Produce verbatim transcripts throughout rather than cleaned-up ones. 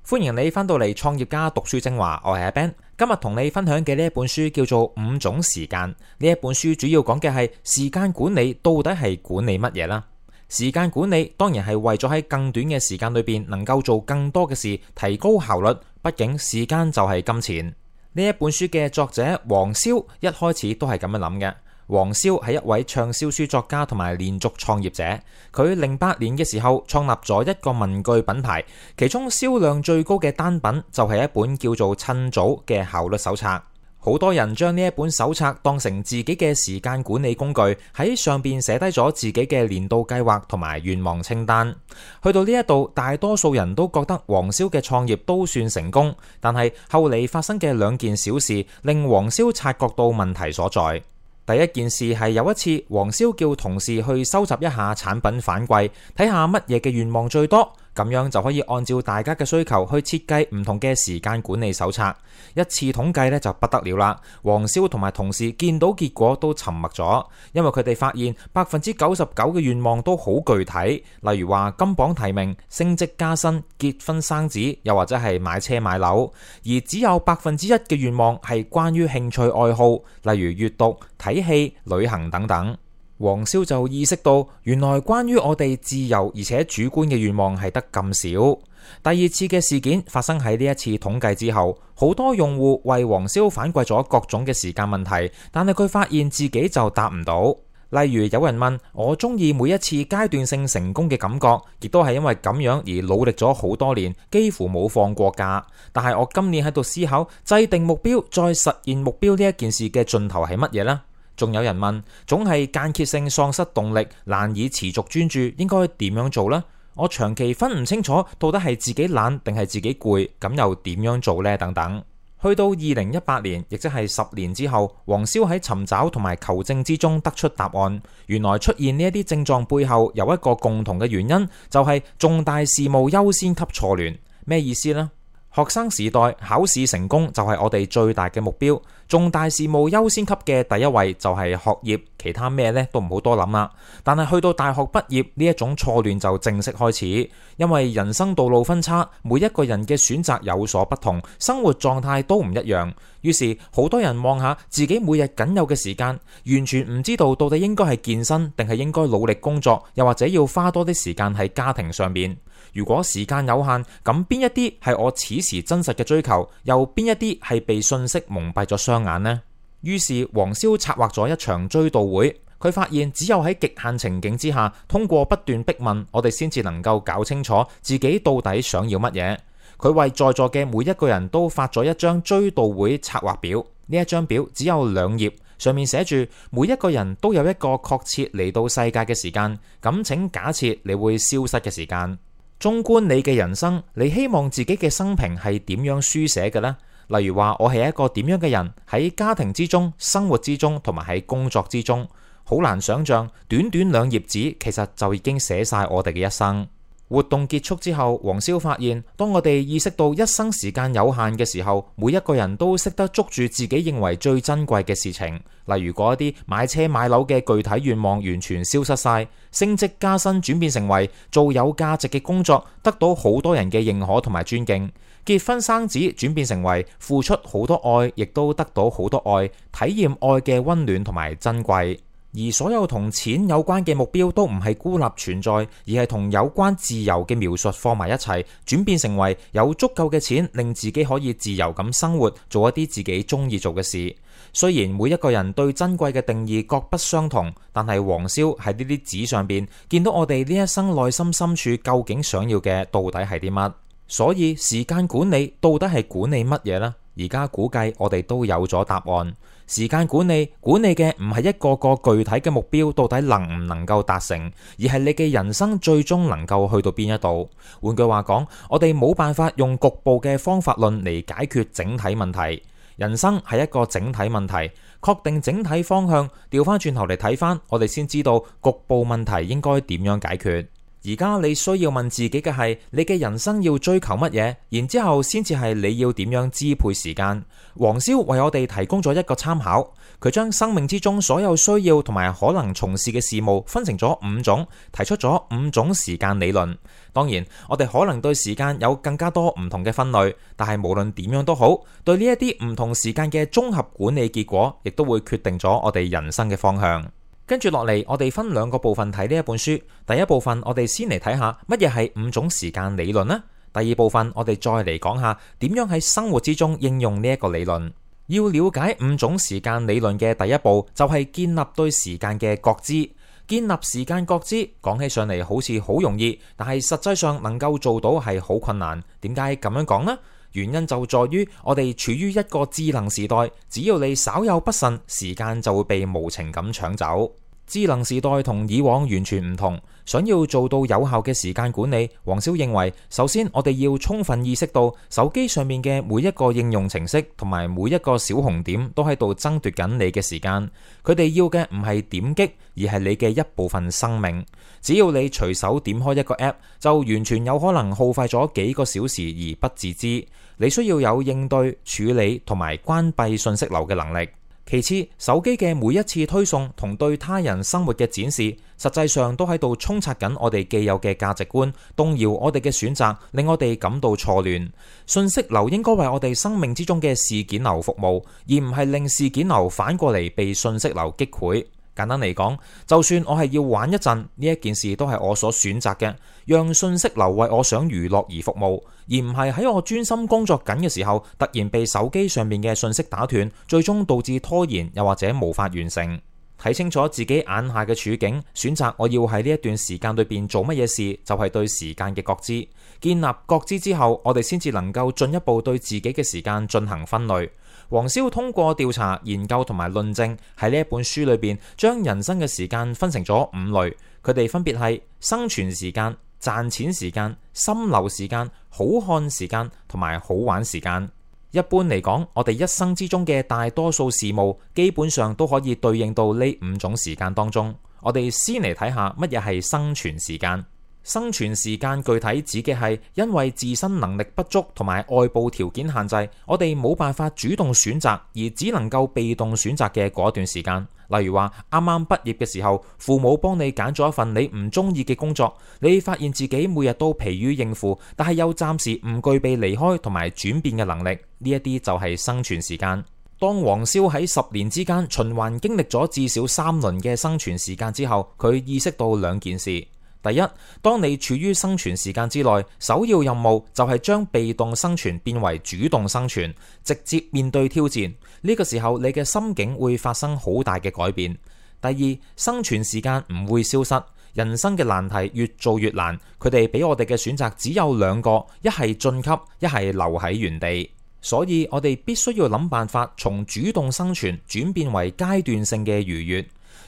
歡迎你返到嚟創業家讀書精華，我係阿 Ben。今日同你分享嘅呢一本書叫做《五種時間》。呢一本書主要講嘅係時間管理到底係管理乜嘢啦？時間管理當然係為咗喺更短嘅時間裏邊能夠做更多嘅事，提高效率。畢竟時間就係金錢。呢一本書嘅作者黃瀟一開始都係咁樣諗嘅。黃瀟係一位暢銷書作家同埋連續創業者。佢零八年嘅時候創立咗一個文具品牌，其中銷量最高嘅單品就係一本叫做《趁早》嘅效率手冊。好多人將呢一本手冊當成自己嘅時間管理工具，喺上邊寫低咗自己嘅年度計劃同埋願望清單。去到呢一度，大多數人都覺得黃瀟嘅創業都算成功，但係後嚟發生嘅兩件小事令黃瀟察覺到問題所在。第一件事係有一次，黃瀟叫同事去收集一下產品反饋，睇下乜嘢嘅願望最多，咁樣就可以按照大家嘅需求去設計唔同嘅時間管理手冊。一次統計咧就不得了啦，黃瀟同埋同事見到結果都沉默咗，因為佢哋發現百分之九十九嘅願望都好具體，例如話金榜題名、升職加薪、結婚生子，又或者係買車買樓，而只有百分之一嘅願望係關於興趣愛好，例如閱讀、睇戲、旅行等等。黃瀟就意識到，原來關於我哋自由而且主觀嘅願望係得咁少。第二次嘅事件發生喺呢一次統計之後，好多用戶為黃瀟反饋咗各種嘅時間問題，但係佢發現自己就答唔到。例如有人問我中意每一次階段性成功嘅感覺，亦都係因為咁樣而努力咗好多年，幾乎冇放過假。但係我今年喺度思考制定目標再實現目標呢一件事嘅盡頭係乜嘢呢？仲有人問，總係間歇性喪失動力，難以持續專注，應該點樣做呢？我長期分唔清楚到底係自己懶定係自己攰，咁又點樣做呢？等等。去到二零一八年，亦即係十年之後，黃瀟喺尋找同埋求證之中得出答案。原來出現呢一啲症狀背後有一個共同嘅原因，就係重大事務優先級錯亂。咩意思呢？學生時代考試成功就係我哋最大嘅目標，重大事務優先級嘅第一位就係學業，其他咩呢都唔好多諗啦。但係去到大學畢業，呢一種錯亂就正式開始，因為人生道路分叉，每一個人嘅選擇有所不同，生活狀態都唔一樣。於是好多人望下自己每日僅有嘅時間，完全唔知道到底應該係健身定係應該努力工作，又或者要花多啲時間喺家庭上面。如果時間有限，咁邊一啲係我此時真實嘅追求，又邊一啲係被信息蒙蔽咗雙眼呢？於是黃瀟策劃咗一場追悼會。佢發現只有喺極限情景之下，通過不斷逼問，我哋先至能夠搞清楚自己到底想要乜嘢。佢為在座嘅每一個人都發咗一張追悼會策劃表。呢一張表只有兩頁，上面寫住每一個人都有一個確切嚟到世界嘅時間，咁請假設你會消失嘅時間。縱觀你嘅人生，你希望自己嘅生平係點樣書寫嘅呢？例如話我係一個點樣嘅人，喺家庭之中、生活之中同埋喺工作之中，好難想象短短兩頁紙其實就已經寫晒我哋嘅一生。活動結束之後，黃瀟發現，當我哋意識到一生時間有限嘅時候，每一個人都識得捉住自己認為最珍貴嘅事情，例如嗰一啲買車買樓嘅具體願望完全消失晒，升職加薪轉變成為做有價值嘅工作，得到好多人嘅認可同埋尊敬，結婚生子轉變成為付出好多愛，亦都得到好多愛，體驗愛嘅溫暖同埋珍貴。而所有同錢有關嘅目標都唔係孤立存在，而係同有關自由嘅描述放埋一齊，轉變成為有足夠嘅錢令自己可以自由咁生活，做一啲自己中意做嘅事。雖然每一個人對珍貴嘅定義各不相同，但係黃瀟喺呢啲紙上邊見到我哋呢一生內心深處究竟想要嘅到底係啲乜。所以時間管理到底係管理乜嘢呢？而家估計我哋都有咗答案。時間管理管理嘅唔係一個個具體嘅目標到底能唔能夠達成，而係你嘅人生最終能夠去到邊一度。換句話講，我哋冇辦法用局部嘅方法論嚟解決整體問題。人生係一個整體問題，確定整體方向，調翻轉頭嚟睇翻，我哋先知道局部問題應該點樣解決。而家你需要問自己嘅係，你嘅人生要追求乜嘢，然之後先至係你要點樣支配時間。黃蕭為我哋提供咗一個參考，佢將生命之中所有需要同埋可能從事嘅事務分成咗五種，提出咗五種時間理論。當然，我哋可能對時間有更加多唔同嘅分類，但係無論點樣都好，對呢一啲唔同時間嘅綜合管理結果，亦都會決定咗我哋人生嘅方向。跟住落嚟，我哋分兩個部分睇呢一本書。第一部分，我哋先嚟睇下乜嘢係五種時間理論呢？第二部分，我哋再嚟講下點樣喺生活之中應用呢一個理論。要了解五種時間理論嘅第一步，就係建立對時間嘅覺知。建立時間覺知講起上嚟好似好容易，但係實際上能夠做到係好困難。點解咁樣講呢？原因就在於我哋處於一個智能時代，只要你稍有不慎，時間就會被無情咁搶走。智能時代同以往完全唔同，想要做到有效嘅時間管理，黃蕭認為，首先我哋要充分意識到手機上面嘅每一個應用程式同埋每一個小紅點都喺度爭奪緊你嘅時間。佢哋要嘅唔係點擊，而係你嘅一部分生命。只要你隨手點開一個 app， 就完全有可能耗費咗幾個小時而不自知。你需要有應對、處理同埋關閉信息流嘅能力。其次，手機嘅每一次推送同對他人生活嘅展示，實際上都喺度沖刷緊我哋既有嘅價值觀，動搖我哋嘅選擇，令我哋感到錯亂。信息流應該為我哋生命之中嘅事件流服務，而唔係令事件流反過嚟被信息流擊潰。簡單嚟講，就算我係要玩一陣，呢一件事都係我所選擇嘅，讓信息流為我想娛樂而服務，而唔係喺我專心工作緊嘅時候，突然被手機上面嘅信息打斷，最終導致拖延，又或者無法完成。睇清楚自己眼下嘅處境，選擇我要喺呢一段時間裏邊做乜嘢事，就係對時間嘅覺知。建立覺知之後，我哋先至能夠進一步對自己嘅時間進行分類。黃蕭通過調查、研究同埋論證，喺呢一本書裏邊，將人生嘅時間分成咗五類，佢哋分別係生存時間、賺錢時間、心流時間、好看時間同埋好玩時間。一般嚟講，我哋一生之中嘅大多數事務，基本上都可以對應到呢五種時間當中。我哋先嚟睇下乜嘢係生存時間。生存時間具體指嘅係因為自身能力不足同埋外部條件限制，我哋冇辦法主動選擇，而只能夠被動選擇嘅嗰段時間。例如話啱啱畢業嘅時候，父母幫你揀咗一份你唔中意嘅工作，你發現自己每日都疲於應付，但係又暫時唔具備離開同埋轉變嘅能力，呢一啲就係生存時間。當黃蕭喺十年之間循環經歷咗至少三輪嘅生存時間之後，佢意識到兩件事。第一，當你處於生存時間之內，首要任務就係將被動生存變為主動生存，直接面對挑戰。呢個時候，你嘅心境會發生好大嘅改變。第二，生存時間唔會消失，人生嘅難題越做越難，佢哋俾我哋嘅選擇只有兩個，一係晉級，一係留喺原地。所以我哋必須要諗辦法從主動生存轉變為階段性嘅愉悅。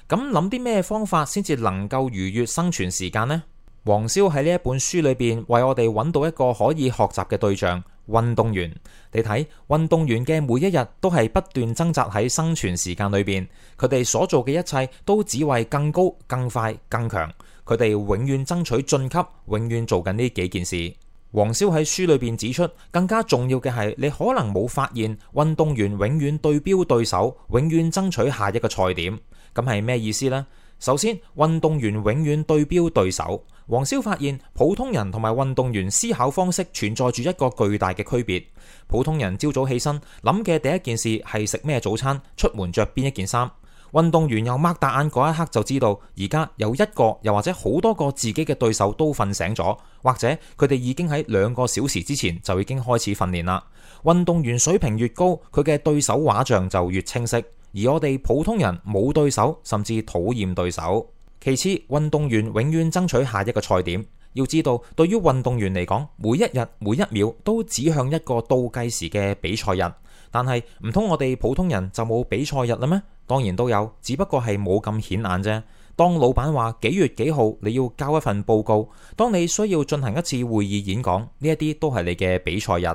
咁諗啲咩方法先至能夠愉悅生存時間呢？黃蕭喺呢一本書裏邊為我哋揾到一個可以學習嘅對象——運動員。你睇，運動員嘅每一日都係不斷掙扎喺生存時間裏邊，佢哋所做嘅一切都只為更高、更快、更強。佢哋永遠爭取晉級，永遠做緊呢幾件事。黃蕭喺書裏邊指出，更加重要嘅係，你可能冇發現，運動員永遠對標對手，永遠爭取下一個賽點。咁係咩意思呢？首先，運動員永遠對標對手。黃蕭發現，普通人同埋運動員思考方式存在住一個巨大嘅區別。普通人朝早起身諗嘅第一件事係食咩早餐，出門着邊一件衫。運動員又擘大眼嗰一刻就知道，而家有一個又或者好多個自己嘅對手都瞓醒咗，或者佢哋已經喺兩個小時之前就已經開始訓練啦。運動員水平越高，佢嘅對手畫像就越清晰。而我哋普通人冇對手，甚至討厭對手。其次，運動員永遠爭取下一個賽點。要知道，對於運動員嚟講，每一日每一秒都指向一個倒計時嘅比賽日。但係唔通我哋普通人就冇比賽日啦咩？當然都有，只不過係冇咁顯眼啫。當老闆話幾月幾號你要交一份報告，當你需要進行一次會議演講，呢一啲都係你嘅比賽日。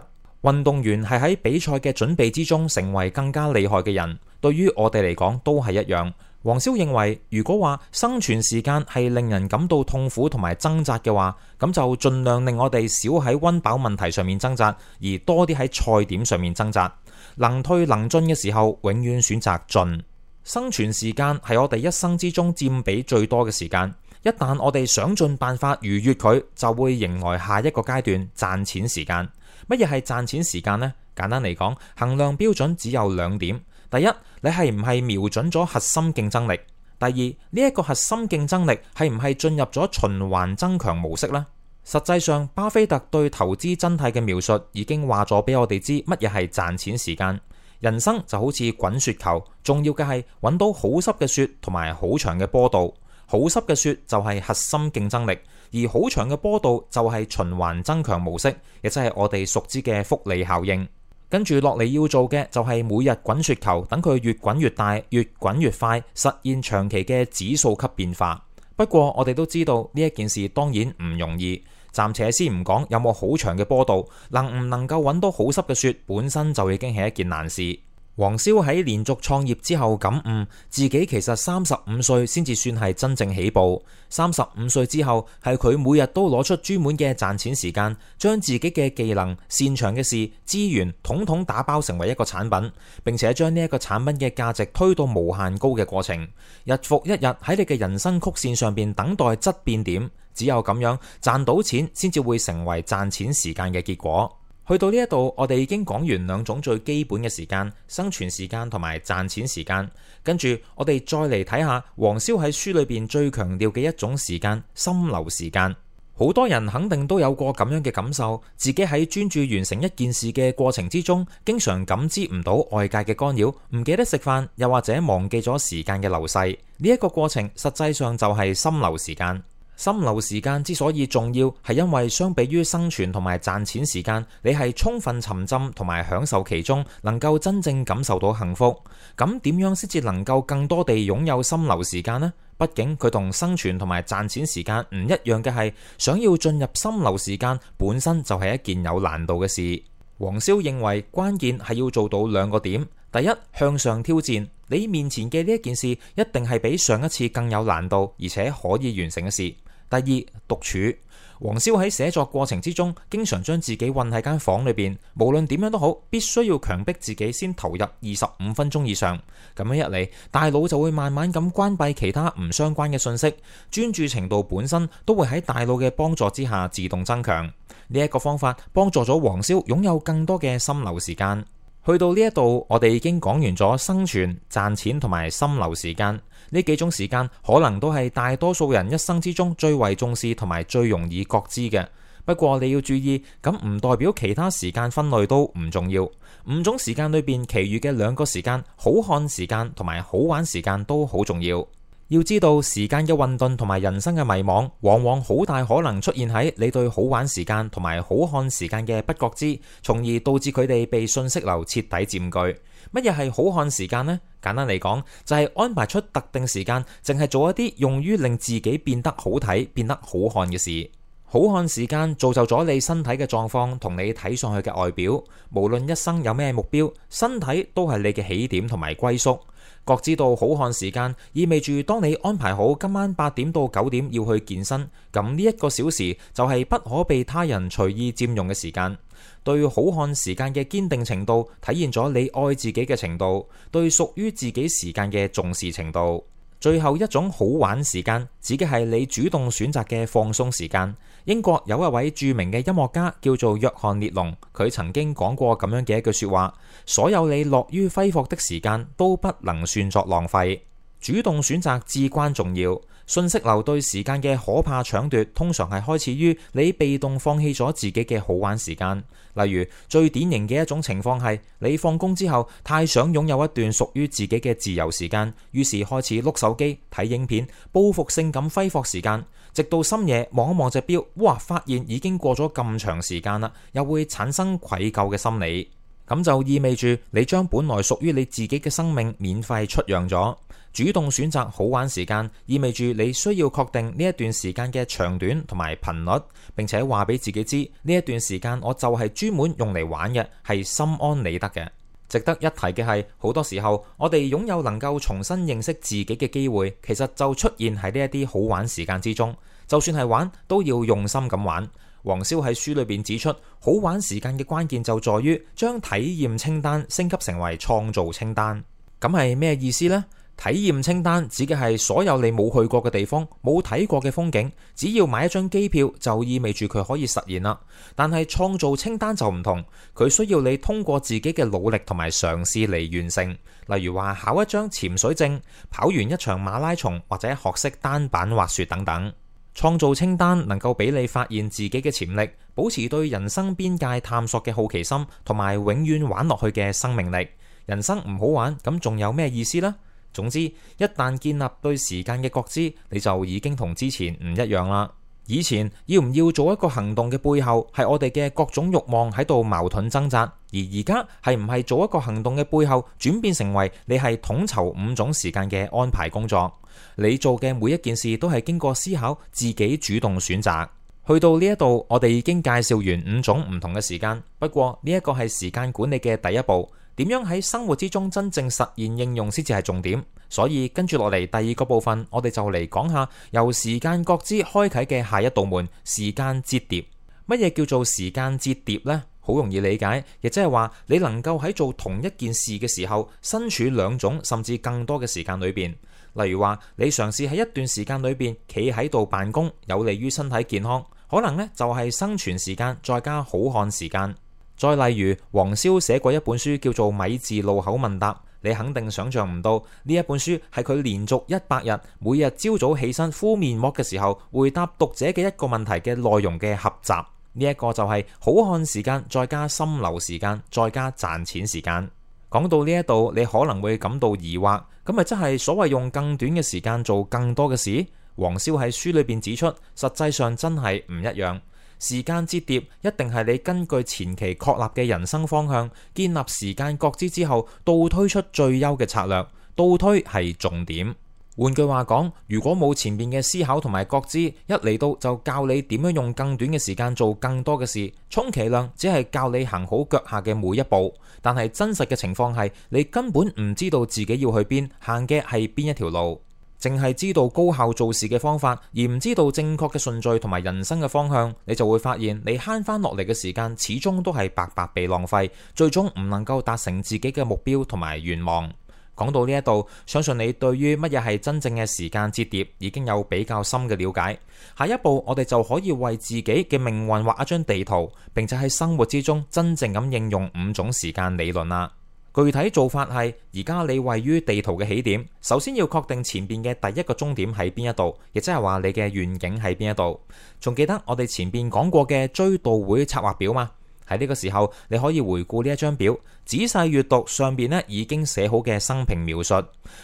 運動員係喺比賽嘅準備之中成為更加厲害嘅人。對於我哋嚟講都係一樣，黃蕭認為，如果話生存時間係令人感到痛苦同埋掙扎嘅話，咁就盡量令我哋少喺溫飽問題上面掙扎，而多啲喺菜點上面掙扎。能退能進嘅時候，永遠選擇進。生存時間係我哋一生之中佔比最多嘅時間。一旦我哋想盡辦法逾越佢，就會迎來下一個階段，賺錢時間。乜嘢係賺錢時間呢？簡單嚟講，衡量標準只有兩點。第一，你係唔係瞄準咗核心競爭力？第二，呢一個核心競爭力係唔係進入咗循環增強模式呢？實際上，巴菲特對投資真諦嘅描述已經話咗俾我哋知乜嘢係賺錢時間。人生就好似滾雪球，重要嘅係揾到好濕嘅雪同埋好長嘅坡度。好濕嘅雪就係核心競爭力，而好長嘅坡度就係循環增強模式，亦即係我哋熟知嘅複利效應。跟住落嚟要做嘅就係每日滾雪球，等佢越滾越大，越滾越快，實現長期嘅指數級變化。不過我哋都知道呢一件事當然唔容易，暫且先唔講有冇好長嘅坡度，能唔能夠揾到好濕嘅雪本身就已經係一件難事。黃蕭喺連續創業之後感悟，自己其實三十五歲先至算係真正起步。三十五歲之後，係佢每日都攞出專門嘅賺錢時間，將自己嘅技能、擅長嘅事、資源統統打包成為一個產品，並且將呢一個產品嘅價值推到無限高嘅過程。日復一日喺你嘅人生曲線上邊等待質變點，只有咁樣賺到錢，先至會成為賺錢時間嘅結果。去到呢一度，我哋已經講完兩種最基本嘅時間，生存時間同埋賺錢時間。跟住我哋再嚟睇下黃蕭喺書裏邊最強調嘅一種時間——心流時間。好多人肯定都有過咁樣嘅感受，自己喺專注完成一件事嘅過程之中，經常感知唔到外界嘅干擾，唔記得食飯，又或者忘記咗時間嘅流逝。呢一個過程實際上就係心流時間。心流時間之所以重要，係因為相比於生存同埋賺錢時間，你係充分沉浸同埋享受其中，能夠真正感受到幸福。咁點樣先至能夠更多地擁有心流時間呢？畢竟佢同生存同埋賺錢時間唔一樣嘅係，想要進入心流時間本身就係一件有難度嘅事。黃蕭認為關鍵係要做到兩個點：第一，向上挑戰，你面前嘅呢一件事一定係比上一次更有難度，而且可以完成嘅事。第二，獨處。黃蕭喺寫作過程之中，經常將自己困喺間房裏邊，無論點樣都好，必須要強迫自己先投入二十五分鐘以上。咁樣一嚟，大腦就會慢慢咁關閉其他唔相關嘅信息，專注程度本身都會喺大腦嘅幫助之下自動增強。呢一個方法幫助咗黃蕭擁有更多嘅心流時間。去到呢一度，我哋已經講完咗生存、賺錢同埋心流時間。呢幾種時間可能都係大多數人一生之中最為重視同埋最容易覺知嘅。不過你要注意，咁唔代表其他時間分類都唔重要。五種時間裏邊，其餘嘅兩個時間，好看時間同埋好玩時間都好重要。要知道時間嘅混沌同埋人生嘅迷惘，往往好大可能出現喺你對好玩時間同埋好看時間嘅不覺知，從而導致佢哋被信息流徹底佔據。乜嘢係好看時間呢？簡單嚟講，就係安排出特定時間，淨係做一啲用於令自己變得好睇、變得好看嘅事。好看時間造就咗你身體嘅狀況同你睇上去嘅外表。無論一生有咩目標，身體都係你嘅起點同埋歸宿。覺知到好看時間，意味住當你安排好今晚八點到九點要去健身，咁呢一個小時就係不可被他人隨意佔用嘅時間。對好看時間嘅堅定程度，體現咗你愛自己嘅程度，對屬於自己時間嘅重視程度。最後一種好玩時間，指嘅係你主動選擇嘅放鬆時間。英國有一位著名嘅音樂家叫做約翰列龍，佢曾經講過咁樣嘅一句說話：所有你樂於揮霍的時間都不能算作浪費。主動選擇至關重要。信息流對時間嘅可怕搶奪，通常係開始於你被動放棄咗自己嘅好玩時間。例如，最典型嘅一種情況係，你放工之後太想擁有一段屬於自己嘅自由時間，於是開始碌手機、睇影片，報復性咁揮霍時間，直到深夜望一望隻錶，哇！發現已經過咗咁長時間啦，又會產生愧疚嘅心理。咁就意味住你將本來屬於你自己嘅生命免費出讓咗。主動選擇好玩時間，意味住你需要確定呢一段時間嘅長短同埋頻率，並且話俾自己知呢一段時間我就係專門用嚟玩嘅，係心安理得嘅。值得一提嘅係，好多時候我哋擁有能夠重新認識自己嘅機會，其實就出現喺呢一啲好玩時間之中。就算係玩，都要用心咁玩。黃蕭喺書裏邊指出，好玩時間嘅關鍵就在於將體驗清單升級成為創造清單。咁係咩意思呢？體驗清單指嘅係所有你冇去過嘅地方、冇睇過嘅風景，只要買一張機票就意味住佢可以實現啦。但係創造清單就唔同，佢需要你通過自己嘅努力同埋嘗試嚟完成。例如話考一張潛水證、跑完一場馬拉松或者學識單板滑雪等等。創造清單能夠俾你發現自己嘅潛力，保持對人生邊界探索嘅好奇心，同埋永遠玩落去嘅生命力。人生唔好玩，咁仲有咩意思呢？總之，一旦建立對時間嘅覺知，你就已經同之前唔一樣啦。以前要唔要做一個行動嘅背後，係我哋嘅各種慾望喺度矛盾掙扎；而而家係唔係做一個行動嘅背後，轉變成為你係統籌五種時間嘅安排工作。你做嘅每一件事都係經過思考，自己主動選擇。去到呢一度，我哋已經介紹完五種唔同嘅時間。不過呢一個係時間管理嘅第一步。點樣喺生活之中真正實現應用先至係重點，所以跟住落嚟第二個部分，我哋就嚟講下由時間覺知開啟嘅下一道門——時間折疊。乜嘢叫做時間折疊呢？好容易理解，亦即係話你能夠喺做同一件事嘅時候，身處兩種甚至更多嘅時間裏邊。例如話你嘗試喺一段時間裏邊企喺度辦公，有利於身體健康，可能呢就係生存時間再加好漢時間。再例如，黃蕭寫過一本書叫做《米字路口問答》，你肯定想象唔到呢一本書係佢連續一百日，每日朝早起身敷面膜嘅時候，回答讀者嘅一個問題嘅內容嘅合集。呢、這、一個就係好漢時間再加心流時間再加賺錢時間。講到呢一度，你可能會感到疑惑，咁咪即係所謂用更短嘅時間做更多嘅事？黃蕭喺書裏邊指出，實際上真係唔一樣。時間折疊一定係你根據前期確立嘅人生方向，建立時間覺知之後，倒推出最優嘅策略。倒推係重點。換句話講，如果冇前面嘅思考同埋覺知，一嚟到就教你點樣用更短嘅時間做更多嘅事，充其量只係教你行好腳下嘅每一步。但係真實嘅情況係，你根本唔知道自己要去邊，行嘅係邊一條路。淨係知道高效做事嘅方法，而唔知道正確嘅順序同埋人生嘅方向，你就會發現你慳翻落嚟嘅時間始終都係白白被浪費，最終唔能夠達成自己嘅目標同埋願望。講到呢一度，相信你對於乜嘢係真正嘅時間折疊已經有比較深嘅了解。下一步我哋就可以為自己嘅命運畫一張地圖，並且喺生活之中真正咁應用五種時間理論啦。具體做法係，而家你位於地圖嘅起點，首先要確定前邊嘅第一個終點喺邊一度，亦即係話你嘅願景喺邊一度。仲記得我哋前邊講過嘅追悼會策劃表嗎？喺呢個時候，你可以回顧呢一張表，仔細閱讀上邊呢已經寫好嘅生平描述，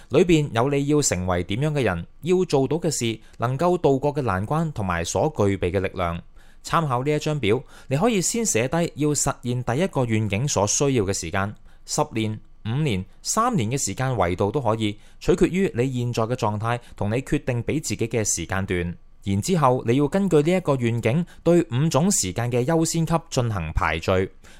裏邊有你要成為點樣嘅人，要做到嘅事，能夠度過嘅難關同埋所具備嘅力量。參考呢一張表，你可以先寫低要實現第一個願景所需要嘅時間。十年、五年、三年嘅時間維度都可以，取決於你現在嘅狀態同你決定俾自己嘅時間段。然之後你要根據呢一個願景，對五種時間嘅優先級進行排序。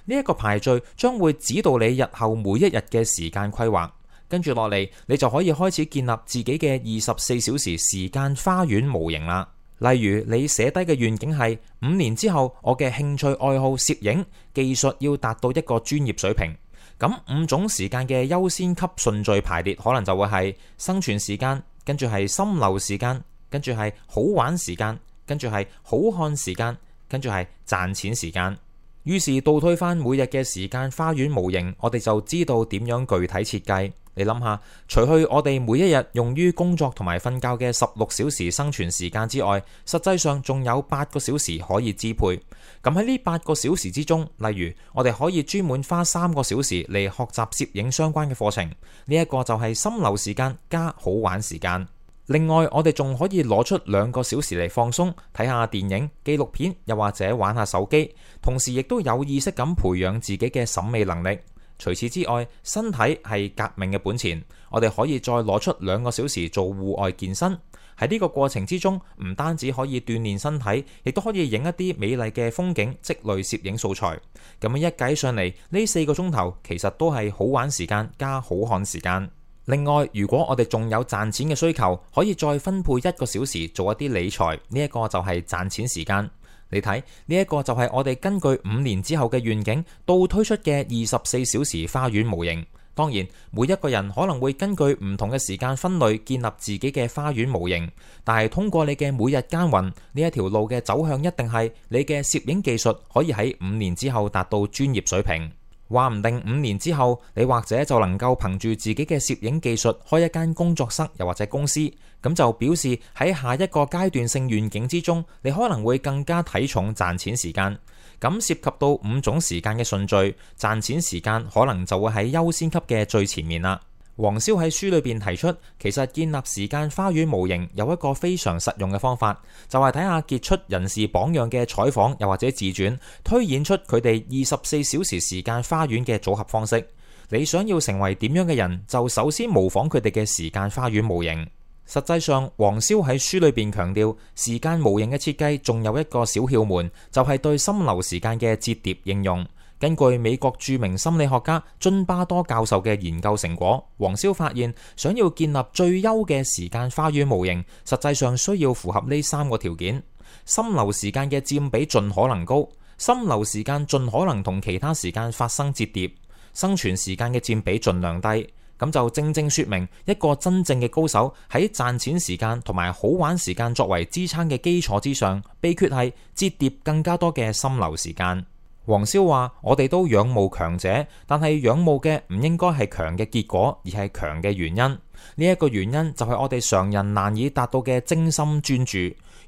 呢一個排序將會指導你日後每一日嘅時間規劃。跟住落嚟，你就可以開始建立自己嘅二十四小時時間花園模型啦。例如你寫低嘅願景係五年之後，我嘅興趣愛好攝影技術要達到一個專業水平。咁五種時間嘅優先級順序排列，可能就會係生存時間，跟住係心流時間，跟住係好玩時間，跟住係好看時間，跟住係賺錢時間。於是倒推返每日嘅時間花園模型，我哋就知道點樣具體設計。你諗下，除去我哋每一日用於工作同埋瞓覺嘅十六小時生存時間之外，實際上仲有八個小時可以支配。咁喺呢八個小時之中，例如我哋可以專門花三個小時嚟學習攝影相關嘅課程，呢一個就係心流時間加好玩時間。另外，我哋仲可以攞出兩個小時嚟放鬆，睇下電影、紀錄片，又或者玩下手機，同時亦都有意識咁培養自己嘅審美能力。除此之外，身體係革命嘅本錢，我哋可以再攞出兩個小時做戶外健身。喺呢個過程之中，唔單止可以鍛鍊身體，亦都可以影一啲美麗嘅風景，積累攝影素材。咁樣一計上嚟，呢四個鐘頭其實都係好玩時間加好看時間。另外，如果我哋仲有賺錢嘅需求，可以再分配一個小時做一啲理財，呢一個就係賺錢時間。你睇，呢一個就係我哋根據五年之後嘅願景倒推出嘅二十四小時花園模型。當然，每一個人可能會根據唔同嘅時間分類建立自己嘅花園模型，但係通過你嘅每日耕耘，呢一條路嘅走向一定係你嘅攝影技術可以喺五年之後達到專業水平。話唔定五年之後，你或者就能夠憑住自己嘅攝影技術開一間工作室，又或者公司，咁就表示喺下一個階段性願景之中，你可能會更加睇重賺錢時間。咁涉及到五種時間嘅順序，賺錢時間可能就會喺優先級嘅最前面啦。黃蕭喺書裏邊提出，其實建立時間花園模型有一個非常實用嘅方法，就係睇下傑出人士榜樣嘅採訪又或者自傳，推演出佢哋二十四小時時間花園嘅組合方式。你想要成為點樣嘅人，就首先模仿佢哋嘅時間花園模型。實際上，黃蕭喺書裏邊強調，時間模型嘅設計仲有一個小竅門，就係對心流時間嘅折疊應用。根據美國著名心理學家津巴多教授嘅研究成果，黃蕭發現，想要建立最優嘅時間花園模型，實際上需要符合呢三個條件：心流時間嘅佔比盡可能高，心流時間盡可能同其他時間發生折疊，生存時間嘅佔比盡量低。咁就正正說明一個真正嘅高手喺賺錢時間同埋好玩時間作為支撐嘅基礎之上，秘訣係折疊更加多嘅心流時間。黃蕭話：我哋都仰慕強者，但係仰慕嘅唔應該係強嘅結果，而係強嘅原因。呢一個原因就係我哋常人難以達到嘅精心專注，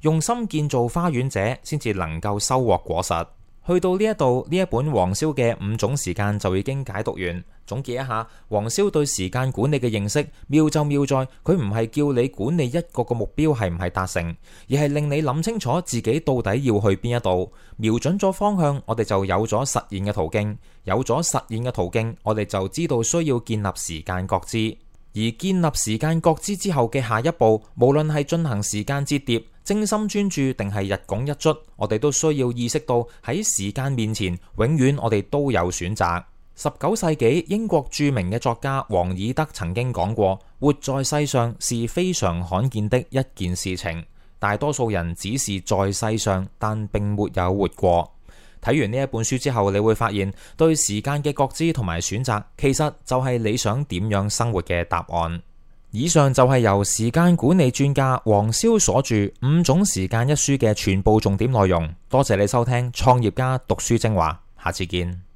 用心建造花園者先至能夠收穫果實。去到呢一度，呢一本黃蕭嘅五種時間就已經解讀完。總結一下，黃蕭對時間管理嘅認識妙就妙在佢唔係叫你管理一個個目標係唔係達成，而係令你諗清楚自己到底要去邊一度，瞄準咗方向，我哋就有咗實現嘅途徑，有咗實現嘅途徑，我哋就知道需要建立時間覺知。而建立時間覺知之後嘅下一步，無論係進行時間折疊、精心專注定係日拱一卒，我哋都需要意識到喺時間面前，永遠我哋都有選擇。十九世紀英國著名嘅作家王爾德曾經講過，活在世上是非常罕見的一件事情，大多數人只是在世上，但並沒有活過。睇完呢一本書之後，你會發現對時間嘅覺知同埋選擇，其實就係你想點樣生活嘅答案。以上就係由時間管理專家黃蕭所著《五種時間》一書嘅全部重點內容。多謝你收聽創業家讀書精華，下次見。